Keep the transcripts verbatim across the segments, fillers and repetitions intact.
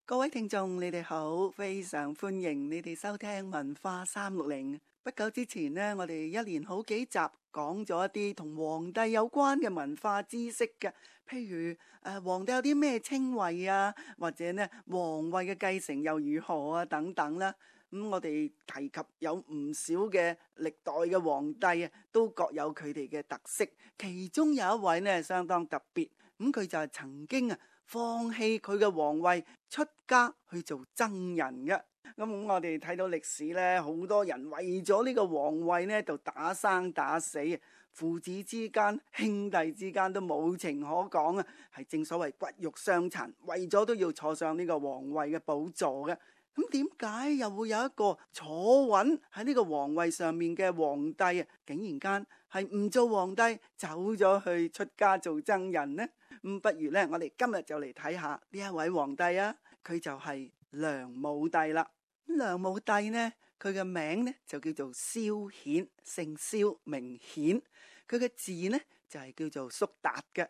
各位聽眾，你哋好，非常歡迎你哋收聽文化三六零。不久之前呢，我哋一連好幾集講咗一啲同皇帝有關嘅文化知識嘅，譬如誒、呃、皇帝有啲咩稱謂啊，或者呢皇位嘅繼承又如何啊等等啦。咁、嗯、我哋提及有唔少嘅歷代嘅皇帝啊，都各有佢哋嘅特色。其中有一位呢相當特別，咁、嗯、佢就係曾經啊放棄佢嘅皇位，出家去做僧人嘅。咁我哋睇到歷史呢，好多人為咗呢個皇位呢，就打生打死，父子之間、兄弟之間都冇情可講啊！係正所謂骨肉相殘，為咗都要坐上呢個皇位嘅寶座嘅。咁點解又會有一個坐穩喺呢個皇位上面嘅皇帝啊，竟然間係唔做皇帝，走咗去出家做僧人呢？咁不如呢，我哋今日就嚟睇下呢一位皇帝啊，佢就係梁武帝啦。梁武帝呢，佢嘅名呢就叫做蕭衍，姓蕭名衍，佢嘅字呢就係、是、叫做叔達嘅。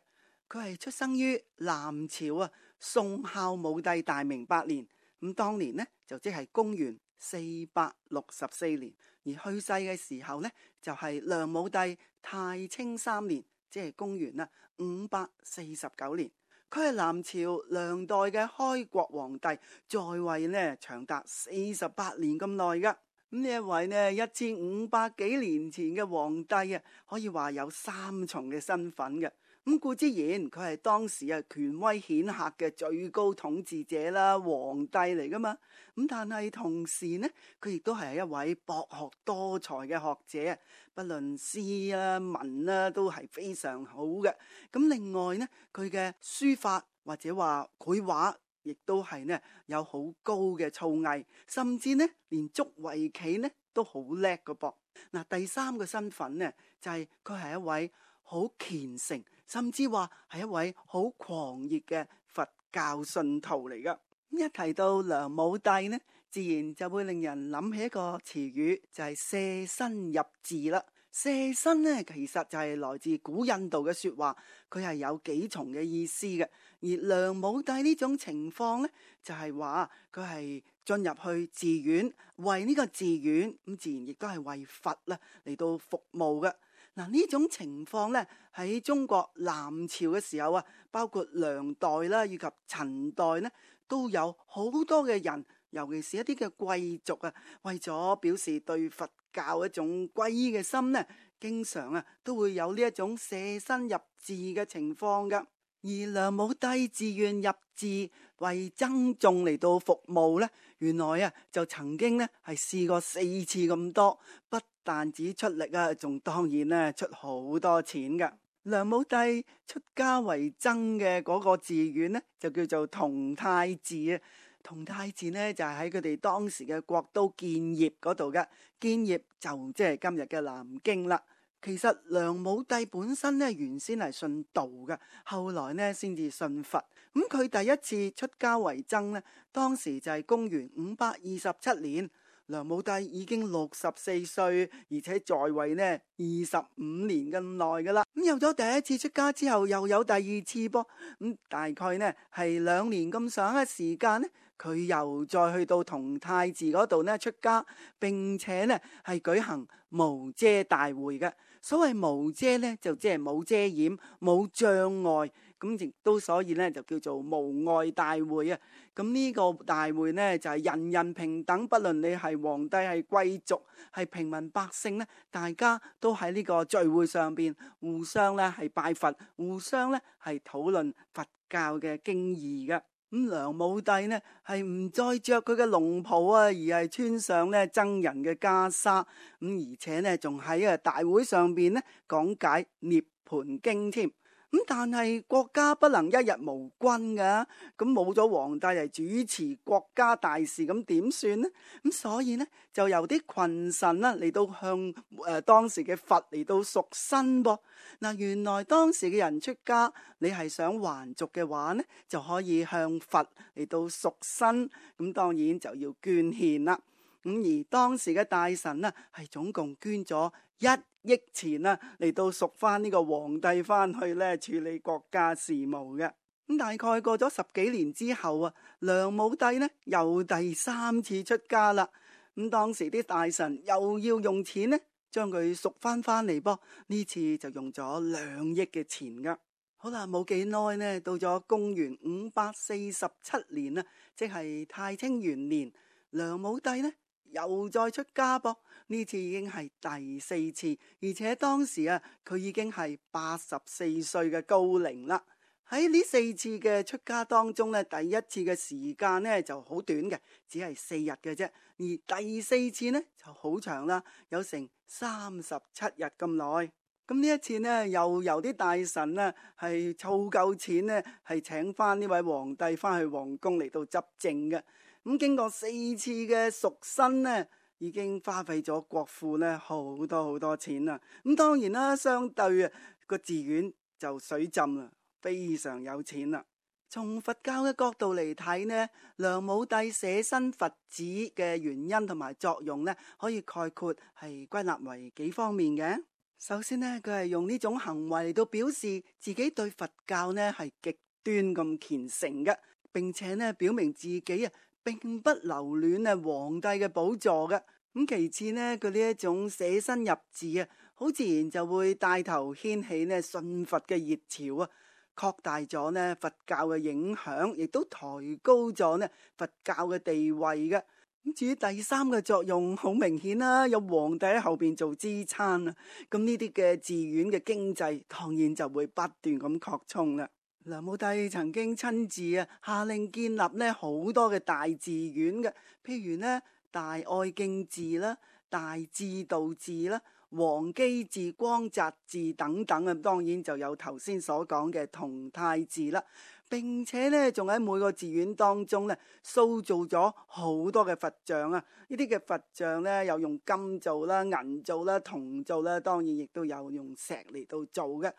佢係出生於南朝啊，宋孝武帝大明八年。咁當年呢就即係公元四百六十四年，而去世嘅時候呢就係、是、梁武帝太清三年，即係公元啊五百四十九年。佢係南朝梁代嘅開國皇帝，在位呢長達四十八年咁耐噶。咁呢一位呢一千五百幾年前嘅皇帝啊，可以話有三重嘅身份嘅。咁固之然，佢係當時啊權威顯赫嘅最高統治者啦，皇帝嚟噶嘛。咁但係同時呢，佢亦都係一位博學多才嘅學者，不論詩啊文啊都係非常好嘅。咁另外呢，佢嘅書法或者話繪畫，亦都係呢有好高嘅造詣，甚至呢連捉圍棋呢都好叻噶噃。嗱，第三個身份呢就係佢係一位好虔誠，甚至話係一位好狂熱嘅佛教信徒嚟噶。一提到梁武帝呢，自然就會令人諗起一個詞語，就係舍身入寺啦。舍身呢，其實就係來自古印度嘅說話，佢係有幾重嘅意思嘅。而梁武帝呢種情況呢，就係話佢係進入去寺院，為呢個寺院咁自然亦都係為佛啦嚟到服務嘅。嗱，呢種情況呢，喺中國南朝嘅時候啊，包括梁代啦以及陳代呢，都有好多嘅人，尤其是一啲嘅貴族啊，為咗表示對佛教一種皈依嘅心呢，經常啊都會有呢一種舍身入寺嘅情況噶。而梁武帝自願入寺為僧眾嚟到服務呢，原來啊就曾經呢係試過四次咁多，不但止出力啊，仲當然呢出好多錢噶。梁武帝出家為僧嘅嗰個寺院呢，就叫做同泰寺啊。同泰寺呢就係喺佢哋當時嘅國都建業嗰度嘅，建業就即係今日嘅南京啦。其實梁武帝本身呢原先係信道嘅，後來呢先至信佛。咁佢第一次出家為僧呢，當時就係公元五百二十七年。梁武帝已經六十四歲，而且在位呢二十五年咁耐噶啦。咁有咗第一次出家之後，又有第二次噃。咁、嗯、大概呢係兩年咁上下時間呢，佢又再去到同泰寺嗰度呢出家，並且呢係舉行無遮大會嘅。所謂無遮呢，就即係冇遮掩、冇障礙。咁亦都所以咧就叫做無礙大會啊！咁呢個大會呢，就係、是、人人平等，不論你係皇帝、係貴族、係平民百姓呢，大家都喺呢個聚會上邊互相咧係拜佛，互相咧係討論佛教嘅經義嘅。咁梁武帝呢係唔再着佢嘅龍袍啊，而係穿上咧僧人嘅袈裟，咁而且呢，仲喺啊大會上邊呢講解涅槃經添。咁但係國家不能一日無君噶，咁冇咗皇帝嚟主持國家大事，咁點算呢？咁所以呢，就由啲群臣啦嚟到向誒、呃、當時嘅佛嚟到贖身噃。嗱，原來當時嘅人出家，你係想還俗嘅話呢，就可以向佛嚟到贖身，咁當然就要捐獻啦。咁而當時嘅大臣呢，係總共捐咗一億錢啦，嚟到贖翻呢個皇帝翻去咧處理國家事務嘅。咁大概過咗十幾年之後啊，梁武帝呢又第三次出家啦。咁當時啲大臣又要用錢呢，將佢贖翻翻嚟噃。呢次就用咗兩億嘅錢噶。好啦，冇幾耐呢，到咗公元五百四十七年啦，即係太清元年，梁武帝呢又再出家噃。呢次已經係第四次，而且當時啊，佢已經係八十四歲嘅高齡啦。喺呢四次嘅出家當中呢，第一次嘅時間呢就好短嘅，只係四日嘅啫。而第四次呢就好長啦，有成三十七日咁耐。咁呢一次呢，又由啲大臣呢係湊夠錢呢，係請翻呢位皇帝翻去皇宮嚟到執政嘅。咁經過四次嘅贖身呢，已經花費咗國庫呢好多好多錢啦。咁當然啦，相對啊個寺院就水浸啦，非常有錢啦。從佛教嘅角度嚟睇呢，梁武帝捨身佛子嘅原因同埋作用呢，可以概括係歸納為幾方面嘅。首先呢，佢係用呢種行為嚟到表示自己對佛教呢係極端咁虔誠嘅，並且呢表明自己啊並不留戀啊皇帝嘅寶座嘅。咁其次呢，佢呢一種捨身入寺啊，好自然就會帶頭掀起呢信佛嘅熱潮啊，擴大咗呢佛教嘅影響，亦都抬高咗呢佛教嘅地位嘅。咁至於第三個作用，好明顯啦，有皇帝喺後邊做支撐啊，咁呢啲嘅寺院嘅經濟當然就會不斷咁擴充啦。梁武帝曾經親自啊下令建立呢好多嘅大寺院嘅，譬如呢大愛敬寺啦、大智度寺啦、王基寺、光澤寺等等啊，當然就有頭先所講嘅同泰寺啦。並且咧，仲喺每個寺院當中咧，塑造咗好多嘅佛像啊！呢啲嘅佛像咧，有用金做啦、銀做啦、銅做啦，當然亦都有用石嚟到做嘅。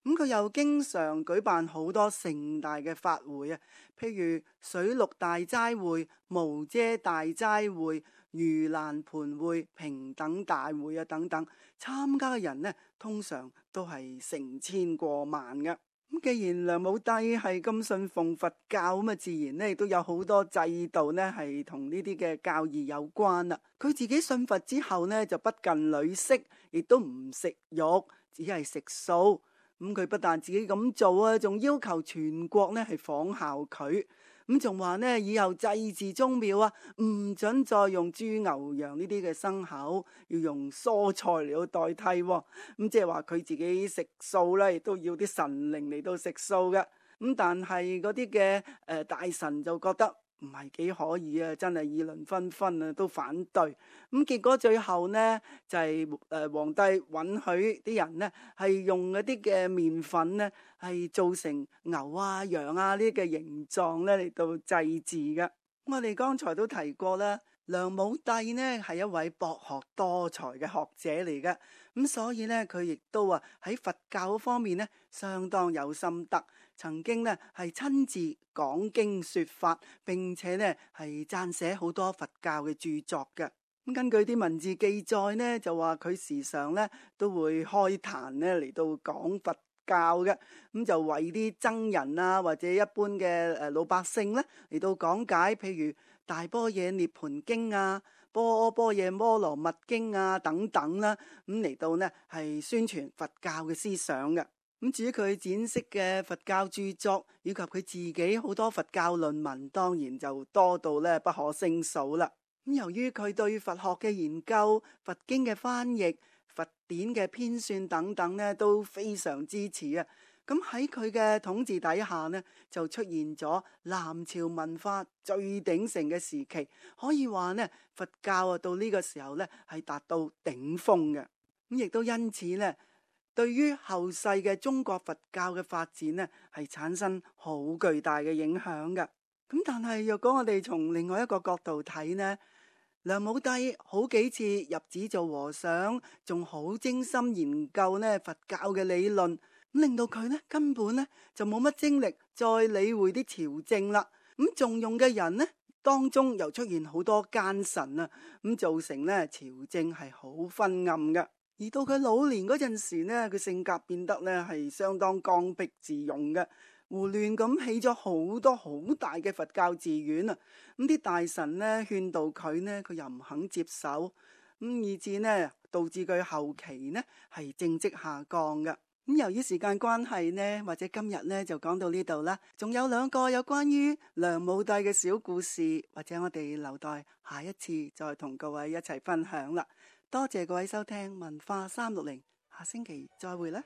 咁佢又經常舉辦好多盛大嘅法會啊，譬如水陸大齋會、無遮大齋會、盂蘭盆會、平等大會啊等等，參加嘅人呢，通常都係成千過萬嘅。咁既然梁武帝係咁信奉佛教，咁啊自然咧亦都有好多制度咧係同呢啲嘅教義有關啦。佢自己信佛之後呢，就不近女色，亦都唔食肉，只係食素。咁佢不但自己咁做啊，仲要求全國呢係仿效佢。咁仲話呢，以後祭祀宗廟啊，唔准再用豬牛羊呢啲嘅牲口，要用蔬菜嚟到代替。咁即係話佢自己食素啦，亦都要啲神靈嚟到食素嘅。咁但係嗰啲嘅誒大臣就覺得唔係幾可以啊，真係議論紛紛啊，都反對。咁結果最後呢，就係誒皇帝允許啲人呢係用嗰啲嘅麵粉呢係做成牛啊羊啊呢啲嘅形狀咧嚟到祭祀嘅。我哋剛才都提過啦，梁武帝呢係一位博學多才嘅學者嚟嘅，咁所以呢，佢亦都啊喺佛教方面呢相當有心得。曾經呢係親自講經說法，並且呢係撰寫好多佛教嘅著作嘅。咁根據啲文字記載呢，就話佢時常呢都會開壇呢嚟到講佛教嘅，咁就為啲僧人啊或者一般嘅誒老百姓呢嚟到講解，譬如大般若涅槃經啊、般般若波羅蜜經啊等等啦，咁嚟到呢係宣傳佛教嘅思想嘅。咁至於佢展示嘅佛教著作，以及佢自己好多佛教論文，當然就多到咧不可勝數啦。咁由於佢對佛學嘅研究、佛經嘅翻譯、佛典嘅編纂等等咧都非常支持啊。咁喺佢嘅統治底下呢，就出現咗南朝文化最鼎盛嘅時期，可以話呢佛教啊到呢個時候呢係達到頂峰嘅。咁亦都因此呢，對於後世嘅中國佛教嘅發展呢，係產生好巨大嘅影響嘅。咁但係若果我哋從另外一個角度睇呢，梁武帝好幾次入寺做和尚，仲好精心研究呢佛教嘅理論，咁令到佢呢根本呢就冇乜精力再理會啲朝政啦。咁重用嘅人呢，當中又出現好多奸臣啊，咁造成呢朝政係好昏暗嘅。而到佢老年嗰陣時呢，佢性格變得呢係相當剛愎自用嘅，胡亂咁起咗好多好大嘅佛教寺院啊！咁啲大臣呢勸導佢呢，佢又唔肯接受，咁以至呢導致佢後期呢係政績下降嘅。咁由於時間關係呢，或者今日呢就講到呢度啦。仲有兩個有關於梁武帝嘅小故事，或者我哋留待下一次再同各位一齊分享啦。多謝各位收聽文化三六零，下星期再會啦。